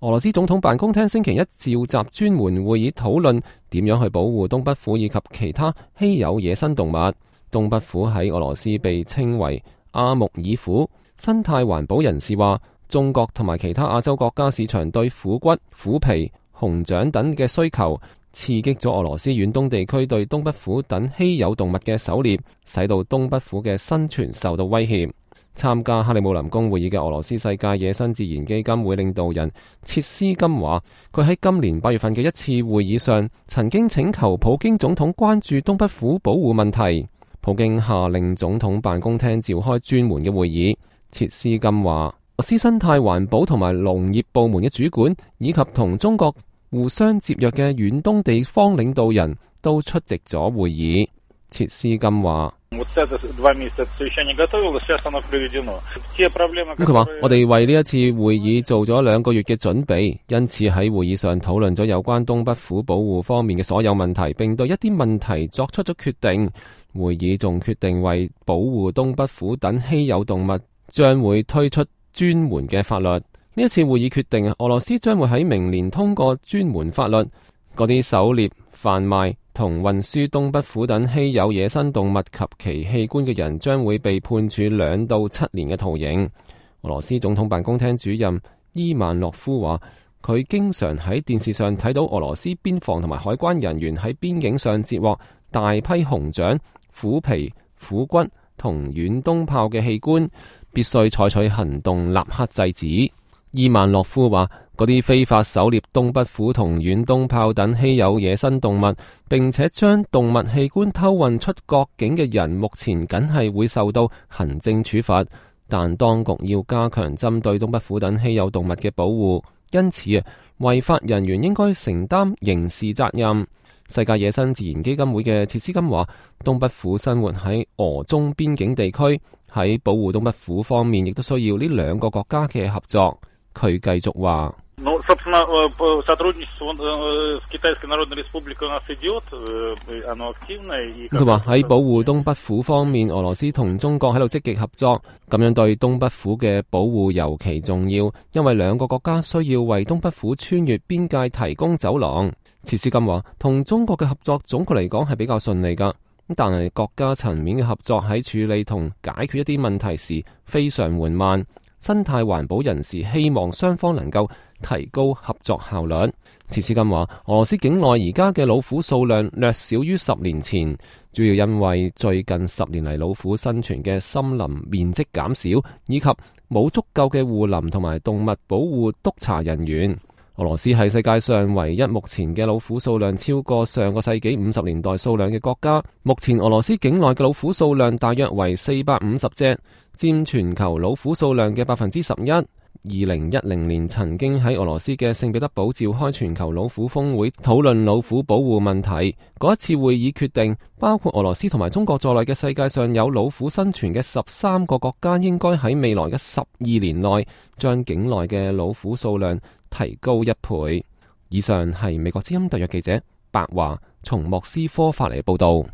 俄羅斯總統辦公廳星期一召集專門會議討論點樣去保護東北虎以及其他稀有野生動物。東北虎喺俄羅斯被稱為阿穆爾虎。生態環保人士話，中國同埋其他亞洲國家市場對虎骨、虎皮、熊掌等嘅需求，刺激咗俄羅斯遠東地區對東北虎等稀有動物嘅狩獵，使到東北虎嘅生存受到威脅。參加克里姆林宮會議嘅俄羅斯世界野生自然基金會領導人切斯金話，佢喺今年8月份嘅一次會議上，曾經請求普京總統關注東北虎保護問題。普京下令總統辦公廳召開專門嘅會議。切斯金話，俄羅斯生態環保同埋農業部門嘅主管，以及同中國互相接壤嘅遠東地方領導人都出席咗會議。切斯金話，佢話我哋為呢一次會議做咗2個月嘅準備，因此喺會議上討論咗有關東北虎保護方面嘅所有問題，並對一啲問題作出咗決定。會議仲決定為保護東北虎等稀有動物，將會推出專門嘅法律。呢一次會議決定，俄羅斯將會喺明年通過專門法律，嗰啲狩獵、販賣同運輸東北虎等稀有野生動物及其器官嘅人將會被判處2到7年嘅徒刑。俄羅斯總統辦公廳主任伊萬諾夫話，佢經常喺電視上睇到俄羅斯邊防同埋海關人員喺邊境上截獲大批熊掌、虎皮、虎骨同遠東炮嘅器官，必須採取行動立刻制止。伊萬諾夫話，嗰啲非法狩獵東北虎同遠東炮等稀有野生動物，並且將動物器官偷運出國境嘅人，目前僅係會受到行政處罰，但當局要加強針對東北虎等稀有動物嘅保護，因此違法人員應該承擔刑事責任。世界野生自然基金會嘅切斯金話，東北虎生活喺俄中邊境地區，喺保護東北虎方面亦都需要呢2個國家嘅合作。佢繼續話，佢話喺保護東北虎方面，俄羅斯同中國喺度積極合作，咁樣對東北虎嘅保護尤其重要，因為2個國家需要為東北虎穿越邊界提供走廊。切斯金話，同中國嘅合作總括嚟講係比較順利噶，但係國家層面嘅合作喺處理同解決一啲問題時非常緩慢。生態環保人士希望雙方能夠提高合作效率。切斯金話，俄羅斯境內而家嘅老虎數量略少於10年前，主要因為最近10年嚟老虎生存嘅森林面積減少，以及冇足夠嘅護林同埋動物保護督察人員。俄羅斯係世界上唯一目前嘅老虎數量超過上個世紀50年代數量嘅國家。目前俄羅斯境內嘅老虎數量大約為450隻，佔全球老虎數量嘅11%。2010年曾經喺俄羅斯嘅聖彼得堡召開全球老虎峰會，討論老虎保護問題。嗰一次會議決定，包括俄羅斯同埋中國在內嘅世界上有老虎生存嘅13個國家，應該喺未來嘅12年內將境內嘅老虎數量提高1倍。以上係美國之音特約記者白華從莫斯科發嚟嘅報道。